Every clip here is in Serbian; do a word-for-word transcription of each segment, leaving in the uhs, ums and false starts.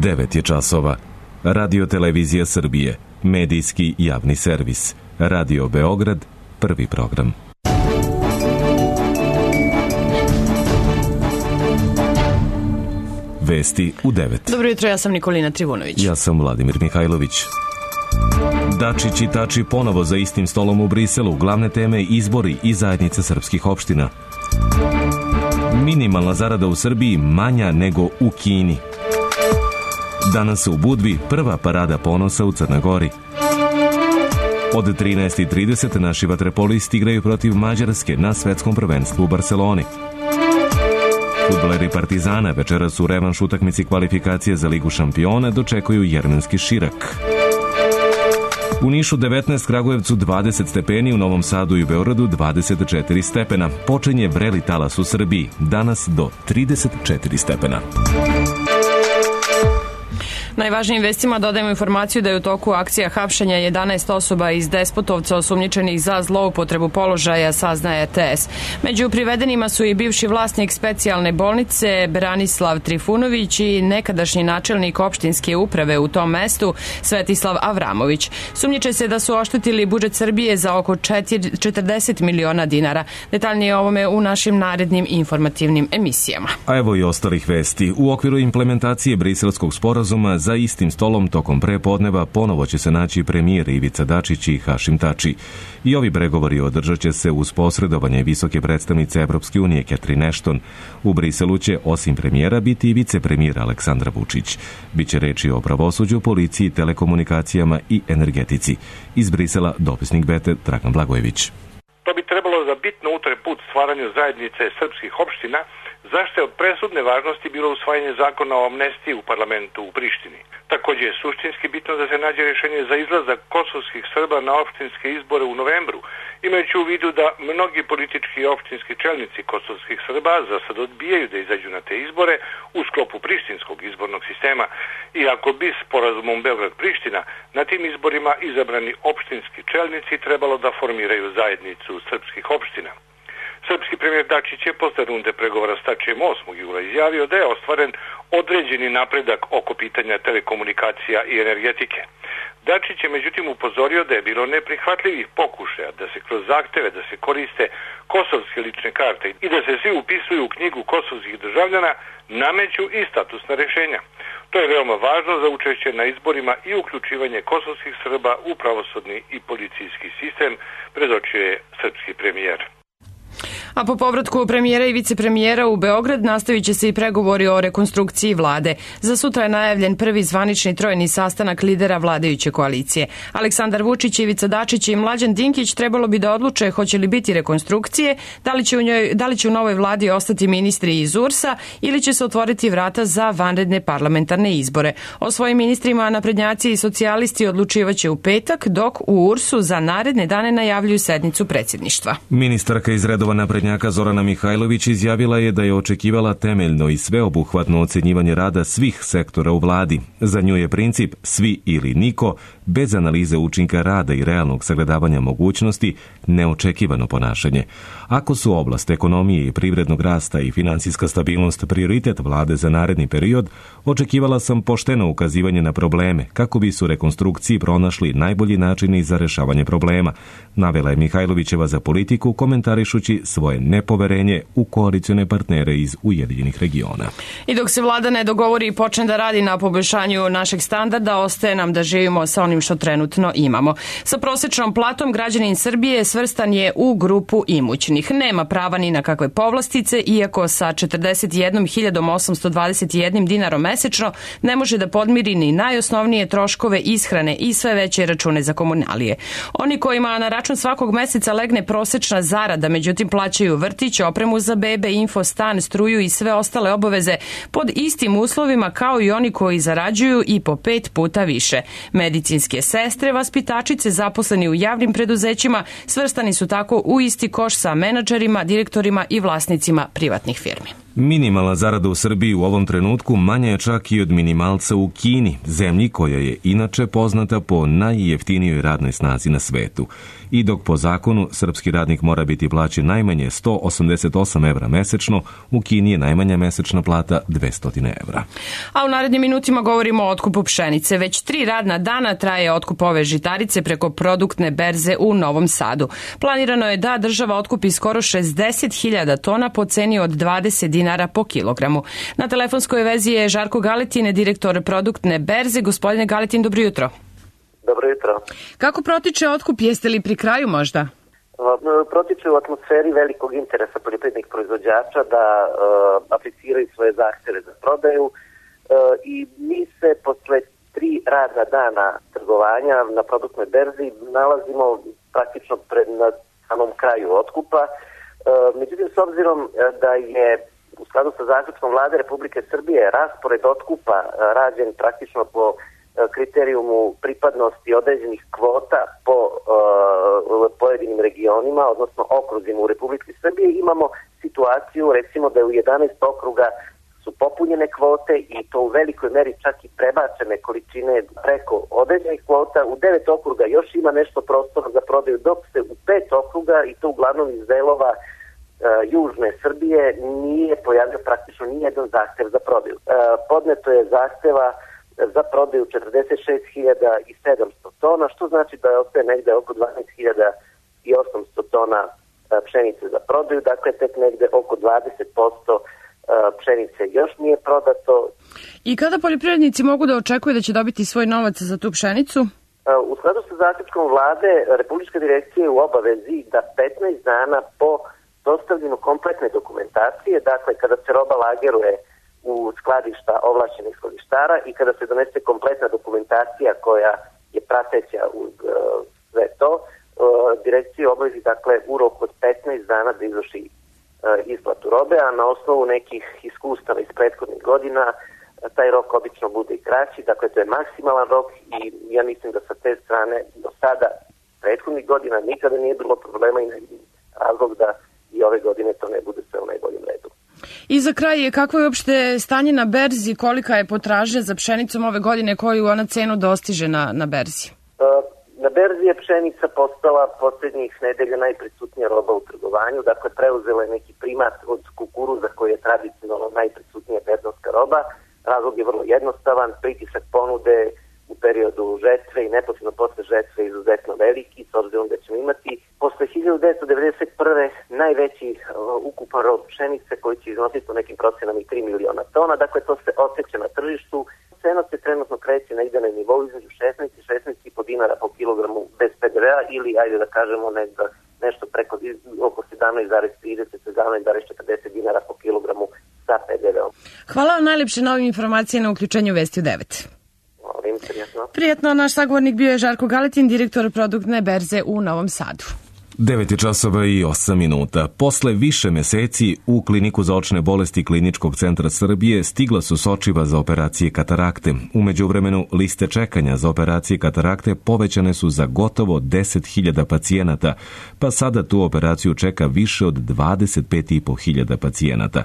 devet je časova. Radio Televizija Srbije, medijski javni servis. Radio Beograd, prvi program. Vesti u devet. Dobro jutro, ja sam Nikolina Trivunović. Ja sam Vladimir Mihajlović. Dačić i Tači ponovo za istim stolom u Briselu. Glavne teme izbori i zajednice srpskih opština. Minimalna zarada u Srbiji manja nego u Kini. Danas u Budvi prva parada ponosa u Crnoj Gori. Od trinaest i trideset naši vaterpolisti igraju protiv Mađarske na svetskom prvenstvu u Barseloni. Fudbaleri Partizana večeras u revanš utakmici kvalifikacije za Ligu šampiona dočekuju jermenski Širak. U Nišu devetnaest, Kragujevcu dvadeset stepeni, u Novom Sadu i Beogradu dvadeset četiri stepena. Počinje vreli talas u Srbiji, danas do trideset četiri stepena. Najvažnijim vestima dodajemo informaciju da je u toku akcija hapšenja jedanaest osoba iz Despotovca osumnjičenih za zloupotrebu položaja, saznaje T S. Među privedenima su i bivši vlasnik specijalne bolnice Branislav Trifunović i nekadašnji načelnik opštinske uprave u tom mestu Svetislav Avramović. Sumnjiče se da su oštetili budžet Srbije za oko četrdeset miliona dinara. Detaljnije o ovome u našim narednim informativnim emisijama. A evo i ostalih vesti. U okviru implementacije Briselskog sporazuma za istim stolom tokom prepodneva ponovo će se naći premijer Ivica Dačić i Hašim Tači. I ovi pregovori održat će se uz posredovanje visoke predstavnice Evropske unije Catherine Ashton. U Briselu će osim premijera biti i vicepremijer Aleksandar Vučić. Biće reči o pravosuđu, policiji, telekomunikacijama i energetici. Iz Brisela dopisnik Bete Dragan Blagojević. To bi trebalo da bitno utre put stvaranju zajednice srpskih opština, zašto je od presudne važnosti bilo usvajanje zakona o amnestiji u parlamentu u Prištini. Također je suštinski bitno da se nađe rješenje za izlazak kosovskih Srba na opštinske izbore u novembru, imajući u vidu da mnogi politički i opštinski čelnici kosovskih Srba za sad odbijaju da izađu na te izbore u sklopu prištinskog izbornog sistema. Iako bi sporazumom Beograd-Priština na tim izborima izabrani opštinski čelnici trebalo da formiraju zajednicu srpskih opština. Srpski premijer Dačić je posle runde pregovora s Tačijem osmog jula izjavio da je ostvaren određeni napredak oko pitanja telekomunikacija i energetike. Dačić je međutim upozorio da je bilo neprihvatljivih pokušaja da se kroz zahteve da se koriste kosovske lične karte i da se svi upisuju u knjigu kosovskih državljana nameću i statusna rješenja. To je veoma važno za učešće na izborima i uključivanje kosovskih Srba u pravosudni i policijski sistem, predočio je srpski premijer. A po povratku premijera i vicepremijera u Beograd nastavit će se i pregovori o rekonstrukciji vlade. Za sutra je najavljen prvi zvanični trojni sastanak lidera vladajuće koalicije. Aleksandar Vučić, Ivica Dačić i Mlađan Dinkić trebalo bi da odluče hoće li biti rekonstrukcije, da li će u njoj, da li će u novoj vladi ostati ministri iz U R S-a ili će se otvoriti vrata za vanredne parlamentarne izbore. O svojim ministrima naprednjaci i socijalisti odlučivaće u petak, dok u U R S-u za naredne dane najavljuju sednicu predsjedništva. Ministarka iz redova naprednjaka Zorana Mihajlović izjavila je da je očekivala temeljno i sveobuhvatno ocenjivanje rada svih sektora u vladi. Za nju je princip svi ili niko, bez analize učinka rada i realnog sagledavanja mogućnosti, neočekivano ponašanje. Ako su oblast ekonomije i privrednog rasta i finansijska stabilnost prioritet vlade za naredni period, očekivala sam pošteno ukazivanje na probleme, kako bi su rekonstrukciji pronašli najbolji načini za rešavanje problema, navela je Mihajlovićeva za politiku komentarišući svoje nepoverenje u koalicione partnere iz Ujedinjenih regiona. I dok se vlada ne dogovori i počne da radi na poboljšanju našeg standarda, ostaje nam da živimo sa onim što trenutno imamo. Sa prosječnom platom građanin Srbije svrstan je u grupu imućnih. Nema prava ni na kakve povlastice, iako sa četrdeset jednom hiljadom osamsto dvadeset jednim dinarom mesečno ne može da podmiri ni najosnovnije troškove ishrane i sve veće račune za komunalije. Oni kojima na račun svakog meseca legne prosečna zarada, međutim plaćaju vrtić, opremu za bebe, infostan, struju i sve ostale obaveze pod istim uslovima kao i oni koji zarađuju i po pet puta više. Medicinske sestre, vaspitačice, zaposleni u javnim preduzećima svrstani su tako u isti koš sa menadžerima, direktorima i vlasnicima privatnih firmi. Minimalna zarada u Srbiji u ovom trenutku manja je čak i od minimalca u Kini, zemlji koja je inače poznata po najjeftinijoj radnoj snazi na svetu. I dok po zakonu srpski radnik mora biti plaćen najmanje sto osamdeset osam evra mesečno, u Kini je najmanja mesečna plata dvesta evra. A u narednim minutima govorimo o otkupu pšenice. Već tri radna dana traje otkup ove žitarice preko produktne berze u Novom Sadu. Planirano je da država otkupi skoro šezdeset hiljada tona po ceni od dvadeset dinara po kilogramu. Na telefonskoj vezi je Žarko Galetin, direktor produktne berze. Gospodine Galetin, dobro jutro. Dobro jutro. Kako protiče otkup? Jeste li pri kraju možda? Protiče u atmosferi velikog interesa poljoprivrednih proizvođača da uh, apliciraju svoje zahteve za prodaju uh, i mi se posle tri radna dana trgovanja na produktnoj berzi nalazimo praktično pred na samom kraju otkupa. Uh, međutim, s obzirom da je u skladu sa zaključkom Vlade Republike Srbije raspored otkupa uh, rađen praktično po kriterijumu pripadnosti određenih kvota po uh, pojedinim regionima, odnosno okruzima u Republici Srbije, imamo situaciju recimo da u jedanaest okruga su popunjene kvote i to u velikoj meri čak i prebačene količine preko određenih kvota. U devet okruga još ima nešto prostora za prodaju, dok se u pet okruga, i to uglavnom iz delova uh, južne Srbije, nije pojavio praktično nijedan zahtev za prodaju. Uh, podneto je zahteva za prodaju četrdeset šest hiljada sedamsto tona, što znači da je ostaje negde oko dvanaest hiljada osamsto tona pšenice za prodaju, dakle tek negde oko dvadeset posto pšenice još nije prodato. I kada poljoprivrednici mogu da očekuju da će dobiti svoj novac za tu pšenicu? U skladu sa zaključkom Vlade, Republička direkcija je u obavezi da petnaest dana po dostavljanju kompletne dokumentacije, dakle kada se roba lageruje u skladišta ovlašćenih skladištara i kada se donese kompletna dokumentacija koja je prateća uz uh, sve to, uh, direkcija obavezi dakle u roku od petnaest dana da izvrši uh, isplatu robe, a na osnovu nekih iskustava iz prethodnih godina uh, taj rok obično bude i kraći, dakle to je maksimalan rok i ja mislim da sa te strane do sada prethodnih godina nikada nije bilo problema i ne vidim razlog da i ove godine to ne bude sve u najboljem redu. I za kraj, kako je uopšte stanje na berzi, kolika je potražnja za pšenicom ove godine, koju ona cenu dostiže na, na berzi? Na berzi je pšenica postala posljednjih nedelja najprisutnija roba u trgovanju, dakle preuzela je neki primat od kukuruza koji je tradicionalno najprisutnija berzonska roba. Razlog je vrlo jednostavan, pritisak ponude u periodu žetve i neposredno posle žetve izuzetno veliki, s obzirom da ćemo imati posle hiljadu devetsto devedeset prve najveći uh, ukupan rod pšenice koji će iznositi u nekim procenama i tri miliona tona, dakle to se osjeća na tržištu. Cena se trenutno kreće negde na nivou između šesnaest i šesnaest i po dinara po kilogramu bez pe de vea ili, ajde da kažemo, negde, nešto preko oko sedamnaest zarez trideset do sedamnaest zarez četrdeset dinara po kilogramu sa pe de veom. Hvala vam najlepše na ovim informacijama na uključenju Vesti u devet. Prijetno. Prijetno, naš sagovornik bio je Žarko Galetin, direktor produktne berze u Novom Sadu. devet časova i osam minuta. Posle više meseci u Kliniku za očne bolesti Kliničkog centra Srbije stigla su sočiva za operacije katarakte. U međuvremenu liste čekanja za operacije katarakte povećane su za gotovo deset hiljada pacijenata, pa sada tu operaciju čeka više od dvadeset pet i po hiljada pacijenata.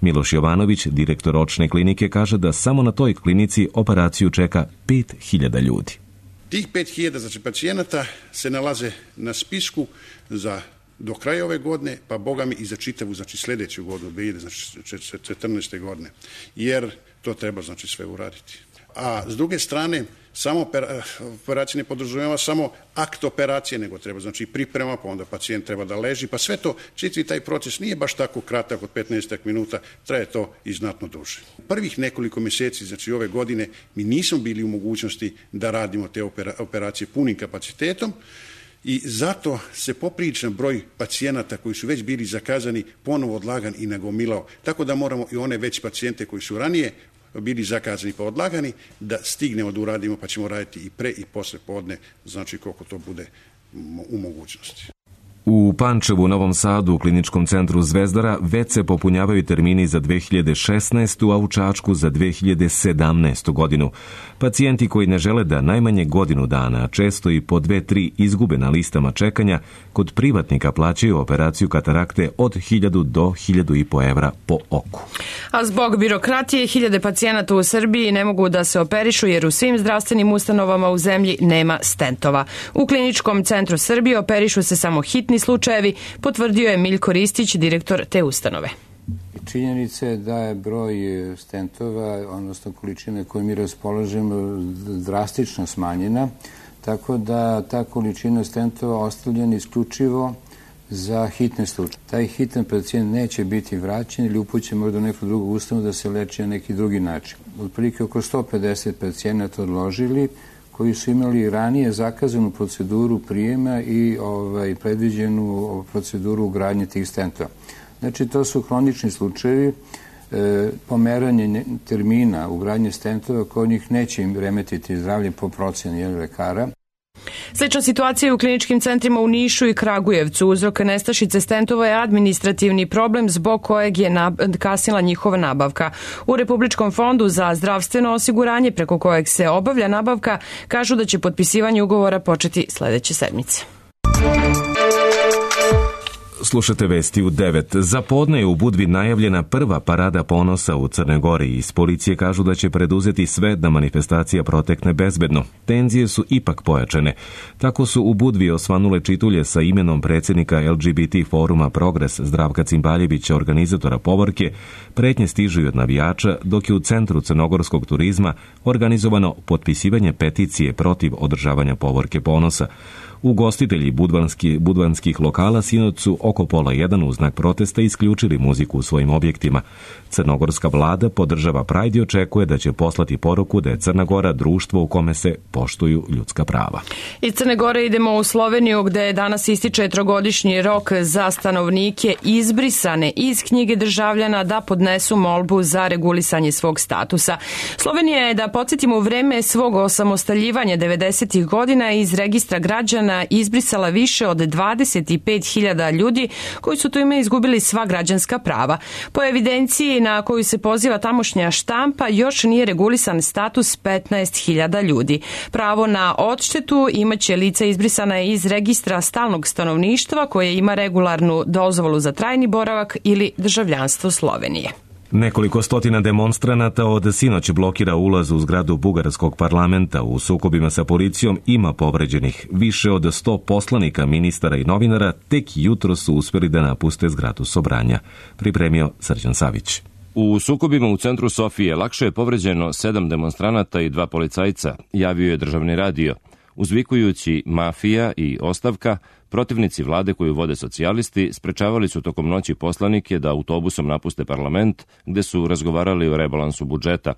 Miloš Jovanović, direktor očne klinike, kaže da samo na toj klinici operaciju čeka pet hiljada ljudi. Tih pet hiljada znači, pacijenata se nalaze na spisku za do kraja ove godine, pa boga mi i za čitavu, znači sljedeću godinu, znači četrnaeste godine, jer to treba znači sve uraditi. A s druge strane, samo operacija ne podrazumijeva samo akt operacije, nego treba znači priprema, pa onda pacijent treba da leži, pa sve to, čitavi taj proces nije baš tako kratak od petnaest minuta, traje to i znatno duže. Prvih nekoliko mjeseci, znači ove godine, mi nismo bili u mogućnosti da radimo te operacije punim kapacitetom i zato se popriličan broj pacijenata koji su već bili zakazani ponovo odlagan i nagomilao, tako da moramo i one već pacijente koji su ranije bili zakazani pa odlagani, da stignemo da uradimo, pa ćemo raditi i pre i posle podne, znači koliko to bude u mogućnosti. U Pančevu, Novom Sadu, u kliničkom centru Zvezdara već se popunjavaju termini za dve hiljade šesnaestu. a u Čačku za dve hiljade sedamnaestu. godinu. Pacijenti koji ne žele da najmanje godinu dana, a često i po dve, tri izgube na listama čekanja, kod privatnika plaćaju operaciju katarakte od hiljadu do hiljadu i po evra po oku. A zbog birokratije, hiljade pacijenata u Srbiji ne mogu da se operišu jer u svim zdravstvenim ustanovama u zemlji nema stentova. U kliničkom centru Srbije operišu se samo hitni slučajevi, potvrdio je Miljko Ristić, direktor te ustanove. Činjenica je da je broj stentova, odnosno količine koje mi raspolažemo, drastično smanjena, tako da ta količina stentova ostavljena isključivo za hitne slučaje. Taj hitan pacijent neće biti vraćen ili upućen možda u neku drugu ustanovu da se leči na neki drugi način. Otprilike oko sto pedeset pacijenata odložili koji su imali ranije zakazanu proceduru prijema i ovaj, predviđenu proceduru ugradnje tih stentova. Znači, to su hronični slučajevi, e, pomeranje termina ugradnje stentova kod njih neće im remetiti zdravlje po procjeni lekara. Slična situacija je u kliničkim centrima u Nišu i Kragujevcu. Uzrok nestašice stentova je administrativni problem zbog kojeg je kasnila njihova nabavka. U Republičkom fondu za zdravstveno osiguranje, preko kojeg se obavlja nabavka, kažu da će potpisivanje ugovora početi sledeće sedmice. Slušate vesti u devet. Za podne je u Budvi najavljena prva parada ponosa u Crnoj Gori. Iz policije kažu da će preduzeti sve da manifestacija protekne bezbedno. Tenzije su ipak pojačane. Tako su u Budvi osvanule čitulje sa imenom predsjednika L G B T foruma Progres Zdravka Cimbaljevića, organizatora povorke. Pretnje stižu od navijača, dok je u Centru crnogorskog turizma organizovano potpisivanje peticije protiv održavanja povorke ponosa. Ugostitelji budvanski, budvanskih lokala sinoć su oko pola jedan u znak protesta isključili muziku u svojim objektima. Crnogorska vlada podržava Pride i očekuje da će poslati poruku da je Crna Gora društvo u kome se poštuju ljudska prava. Iz Crne Gore idemo u Sloveniju, gde danas ističe trogodišnji rok za stanovnike izbrisane iz knjige državljana da podnesu molbu za regulisanje svog statusa. Slovenija je, da podsjetimo, u vreme svog osamostaljivanja devedesetih godina iz registra građana izbrisala više od dvadeset pet hiljada ljudi koji su tu ime izgubili sva građanska prava. Po evidenciji na koju se poziva tamošnja štampa, još nije regulisan status petnaest hiljada ljudi. Pravo na odštetu imaće lica izbrisana iz registra stalnog stanovništva koje ima regularnu dozvolu za trajni boravak ili državljanstvo Slovenije. Nekoliko stotina demonstranata od sinoć blokira ulaz u zgradu bugarskog parlamenta. U sukobima sa policijom ima povređenih. Više od sto poslanika, ministara i novinara tek jutro su uspjeli da napuste zgradu Sobranja. Pripremio Srđan Savić. U sukobima u centru Sofije lakše je povređeno sedam demonstranata i dva policajca, javio je državni radio. Uzvikujući mafija i ostavka, protivnici vlade koju vode socijalisti sprečavali su tokom noći poslanike da autobusom napuste parlament, gde su razgovarali o rebalansu budžeta.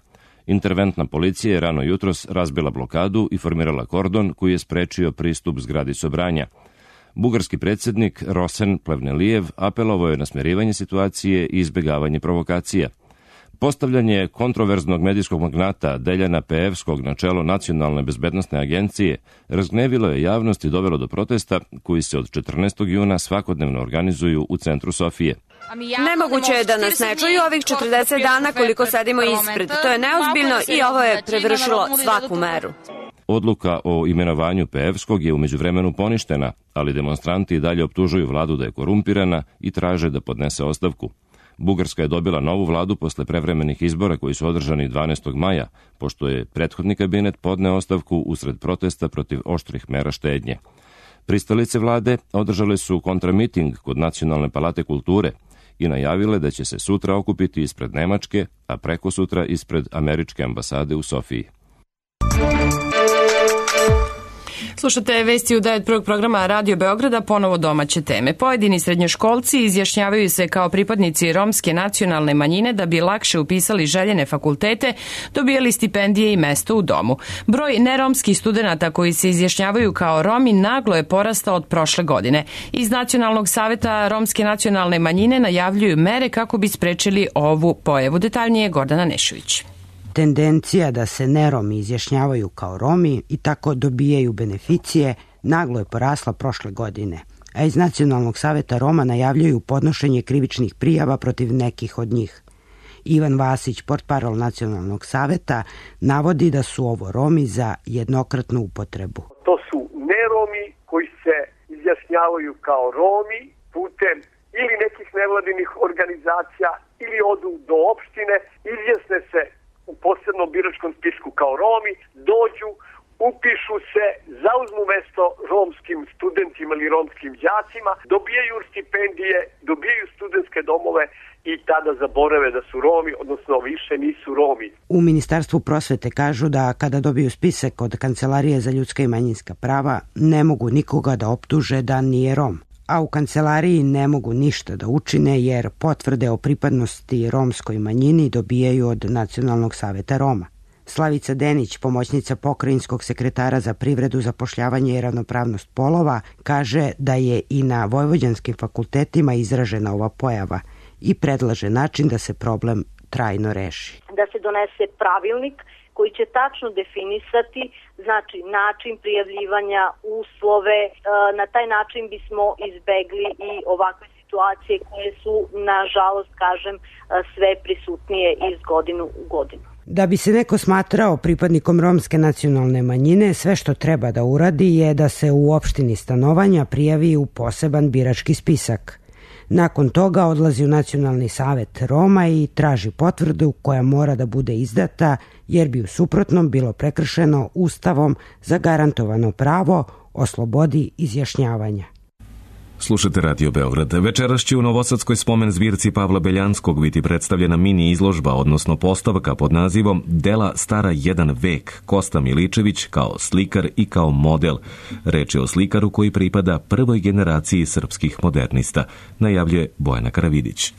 Interventna policija je rano jutros razbila blokadu i formirala kordon koji je sprečio pristup zgradi Sobranja. Bugarski predsjednik Rosen Plevnelijev apelovao je na smirivanje situacije i izbjegavanje provokacija. Postavljanje kontroverznog medijskog magnata Deljana Peevskog na čelo Nacionalne bezbednosne agencije razgnevilo je javnost i dovelo do protesta koji se od četrnaestog juna svakodnevno organizuju u centru Sofije. Nemoguće je da nas ne čuju ovih četrdeset dana koliko sedimo ispred. To je neozbiljno i ovo je prevršilo svaku meru. Odluka o imenovanju Peevskog je u međuvremenu poništena, ali demonstranti dalje optužuju vladu da je korumpirana i traže da podnese ostavku. Bugarska je dobila novu vladu posle prevremenih izbora koji su održani dvanaestog maja, pošto je prethodni kabinet podneo ostavku usred protesta protiv oštrih mera štednje. Pristalice vlade održale su kontramiting kod Nacionalne palate kulture i najavile da će se sutra okupiti ispred Nemačke, a preko sutra ispred Američke ambasade u Sofiji. Slušate vesti u devet prvog programa Radio Beograda, ponovo domaće teme. Pojedini srednjoškolci izjašnjavaju se kao pripadnici romske nacionalne manjine da bi lakše upisali željene fakultete, dobijali stipendije i mesto u domu. Broj neromskih studenata koji se izjašnjavaju kao Romi naglo je porastao od prošle godine. Iz Nacionalnog saveta romske nacionalne manjine najavljuju mere kako bi sprečili ovu pojavu. Detaljnije Gordana Nešović. Tendencija da se neromi izjašnjavaju kao Romi i tako dobijaju beneficije naglo je porasla prošle godine. a iz Nacionalnog saveta Roma najavljuju podnošenje krivičnih prijava protiv nekih od njih. Ivan Vasić, portparol Nacionalnog saveta, navodi da su ovo Romi za jednokratnu upotrebu. To su neromi koji se izjašnjavaju kao Romi putem ili nekih nevladinih organizacija ili odu do opštine, izjasne se u posebnom biračkom spisku kao Romi, dođu, upišu se, zauzmu mesto romskim studentima ili romskim đacima, dobijaju stipendije, dobijaju studentske domove i tada zaborave da su Romi, odnosno više nisu Romi. U Ministarstvu prosvete kažu da kada dobiju spisak od Kancelarije za ljudska i manjinska prava, ne mogu nikoga da optuže da nije Rom. A u kancelariji ne mogu ništa da učine jer potvrde o pripadnosti romskoj manjini dobijaju od Nacionalnog saveta Roma. Slavica Denić, pomoćnica pokrajinskog sekretara za privredu, zapošljavanje i ravnopravnost polova, kaže da je i na vojvođanskim fakultetima izražena ova pojava i predlaže način da se problem trajno reši. Da se donese pravilnik koji će tačno definisati znači način prijavljivanja, uslove, na taj način bismo izbegli i ovakve situacije koje su, nažalost, kažem, sve prisutnije iz godinu u godinu. Da bi se neko smatrao pripadnikom romske nacionalne manjine, sve što treba da uradi je da se u opštini stanovanja prijavi u poseban birački spisak. Nakon toga odlazi u Nacionalni savet Roma i traži potvrdu koja mora da bude izdata jer bi u suprotnom bilo prekršeno Ustavom zagarantovano pravo o slobodi izjašnjavanja. Slušate Radio Beograd. Večeras će u Novosadskoj spomen zbirci Pavla Beljanskog biti predstavljena mini izložba, odnosno postavka pod nazivom Dela stara jedan vek, Kosta Miličević kao slikar i kao model. Reč je o slikaru koji pripada prvoj generaciji srpskih modernista, najavljuje Bojana Karavidić.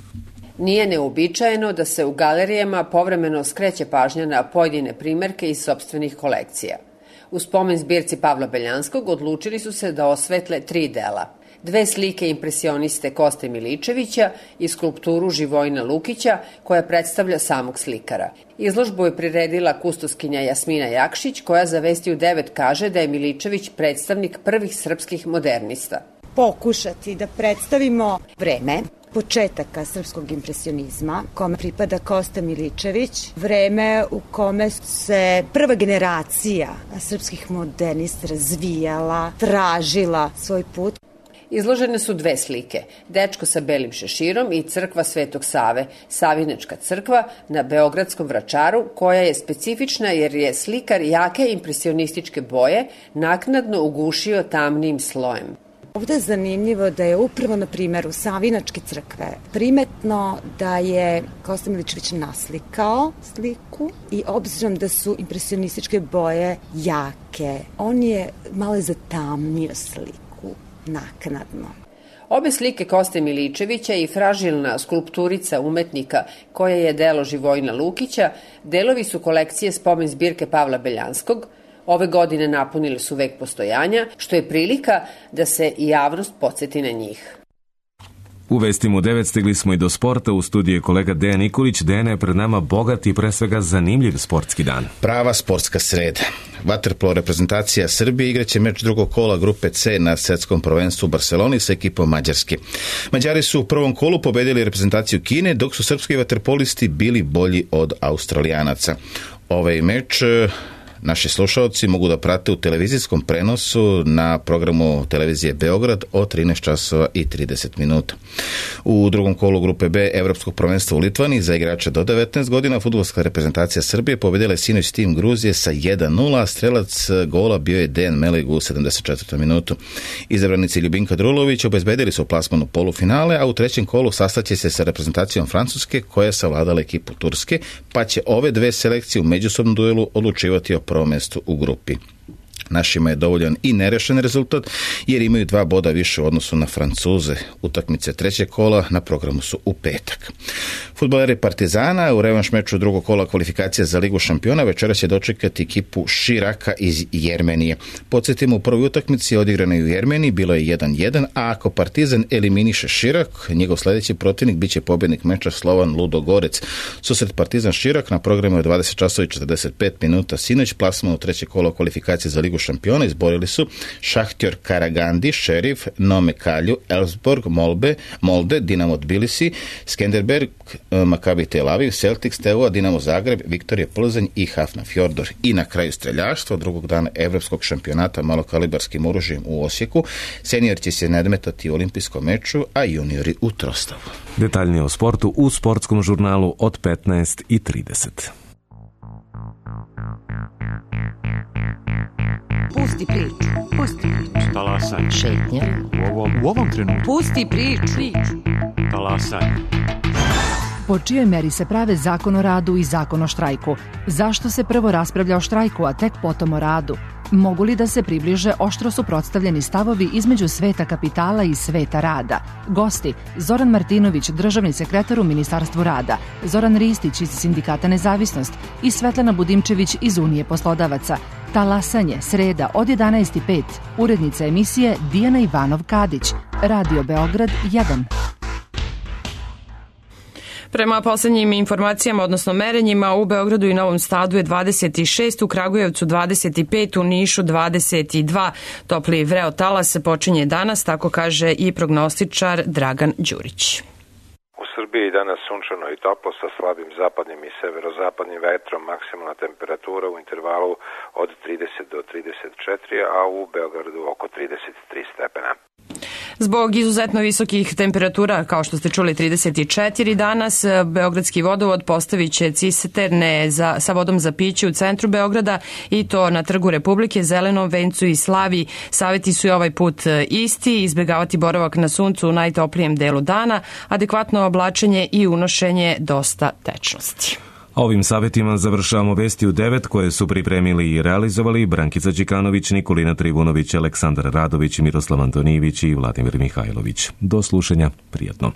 Nije neuobičajeno da se u galerijama povremeno skreće pažnja na pojedine primerke iz sopstvenih kolekcija. U spomen zbirci Pavla Beljanskog odlučili su se da osvetle tri dela. Dve slike impresioniste Koste Miličevića i skulpturu Živojina Lukića koja predstavlja samog slikara. Izložbu je priredila kustoskinja Jasmina Jakšić koja za Vesti u devet kaže da je Miličević predstavnik prvih srpskih modernista. Pokušati da predstavimo vreme početaka srpskog impresionizma, kome pripada Kosta Miličević, vreme u kome se prva generacija srpskih modernista razvijala, tražila svoj put. Izložene su dve slike, dečko sa belim šeširom i crkva Svetog Save, Savinečka crkva na Beogradskom Vračaru, koja je specifična jer je slikar jake impresionističke boje naknadno ugušio tamnim slojem. Ovde je zanimljivo da je upravo na primjeru Savinačke crkve primetno da je Kosta Miličević naslikao sliku i obzirom da su impresionističke boje jake, on je malo zatamnio sliku naknadno. Obe slike Koste Miličevića i fražilna skulpturica umetnika koja je delo Živojina Lukića delovi su kolekcije spomen zbirke Pavla Beljanskog. Ove godine napunili su vek postojanja, što je prilika da se i javnost podsjeti na njih. U Vestima u devet stigli smo i do sporta. U studiju je kolega Dejan Nikolić. Dejan, je pred nama bogat i pre svega zanimljiv sportski dan. Prava sportska sreda. Vaterpolo reprezentacija Srbije igraće meč drugog kola grupe C na svetskom prvenstvu u Barseloni sa ekipom Mađarske. Mađari su u prvom kolu pobedili reprezentaciju Kine, dok su srpski vaterpolisti bili bolji od Australijanaca. Ovaj meč naši slušalci mogu da prate u televizijskom prenosu na programu televizije Beograd od trinaest časova i trideset minuta. U drugom kolu grupe B Evropskog prvenstva u Litvani za igrača do devetnaest godina fudbalska reprezentacija Srbije pobedila je sinoć tim Gruzije sa jedan nula, a strelac gola bio je Dejan Melig u sedamdeset četvrtoj minutu. Izabranici Ljubinka Drulović obezbedili su plasman u polufinale, a u trećem kolu sastaće se sa reprezentacijom Francuske koja je savladala ekipu Turske, pa će ove dve selekcije u međusobnom duelu odlučivati o prvom mestu u grupi. Našima je dovoljan i nerešen rezultat jer imaju dva boda više u odnosu na Francuze. Utakmice trećeg kola na programu su u petak. Fudbaleri Partizana u revanš meču drugog kola kvalifikacija za Ligu šampiona večeras će dočekati ekipu Širaka iz Jermenije. Podsjetimo, u prvoj utakmici odigrane u Jermeniji bilo je jedan jedan, a ako Partizan eliminiše Širak, njegov sledeći protivnik biće pobjednik meča Slovan Ludogorec. Susret Partizan Širak na programu je dvadeset časova i četrdeset pet minuta sinoć, plasman u treće kolo kvalifikacije za Ligu šampiona izborili su Šahtjor Karagandi, Šerif, Nome Kalju, Elfsborg, Molbe, Molde, Dinamo Tbilisi, Skenderberg, Maccabi Tel Aviv, Celtic, Steaua, Dinamo Zagreb, Viktorija Plzeň i Hafnarfjordur. I na kraju streljaštvo drugog dana evropskog šampionata malokalibarskim oružjem u Osijeku. Senior će se nadmetati u olimpijskom meču, a juniori u Trostavu. Detaljnije o sportu u sportskom žurnalu od petnaest i trideset. Pusti priču, pusti priču. Talasaj. Šetnja. U ovom, u ovom trenutku. Pusti priču. Talasaj. Po čijoj meri se prave zakon o radu i zakon o štrajku? Zašto se prvo raspravlja o štrajku, a tek potom o radu? Mogu li da se približe oštro suprotstavljeni stavovi između sveta kapitala i sveta rada? Gosti: Zoran Martinović, državni sekretar u Ministarstvu rada, Zoran Ristić iz Sindikata Nezavisnost i Svetlana Budimčević iz Unije poslodavaca. Talasanje, sreda od jedanaest i pet. Urednica emisije Dijana Ivanov-Kadić. Radio Beograd jedan. Prema poslednjim informacijama, odnosno merenjima, u Beogradu i Novom Sadu je dvadeset šest, u Kragujevcu dvadeset pet, u Nišu dvadeset dva. Topli vreo talas počinje danas, tako kaže i prognostičar Dragan Đurić. U Srbiji danas sunčano i toplo sa slabim zapadnim i severozapadnim vetrom, maksimalna temperatura u intervalu od trideset do trideset četiri, a u Beogradu oko trideset tri stepena. Zbog izuzetno visokih temperatura, kao što ste čuli trideset četiri danas, Beogradski vodovod postavit će cisterne za, sa vodom za piće u centru Beograda i to na Trgu Republike, Zelenom vencu i Slavi. Saveti su i ovaj put isti: izbjegavati boravak na suncu u najtoplijem delu dana, adekvatno oblačenje i unošenje dosta tečnosti. Ovim savjetima završavamo vesti u devet koje su pripremili i realizovali Brankica Đikanović, Nikolina Trivunović, Aleksandar Radović, Miroslav Antonijević i Vladimir Mihajlović. Do slušanja, prijatno.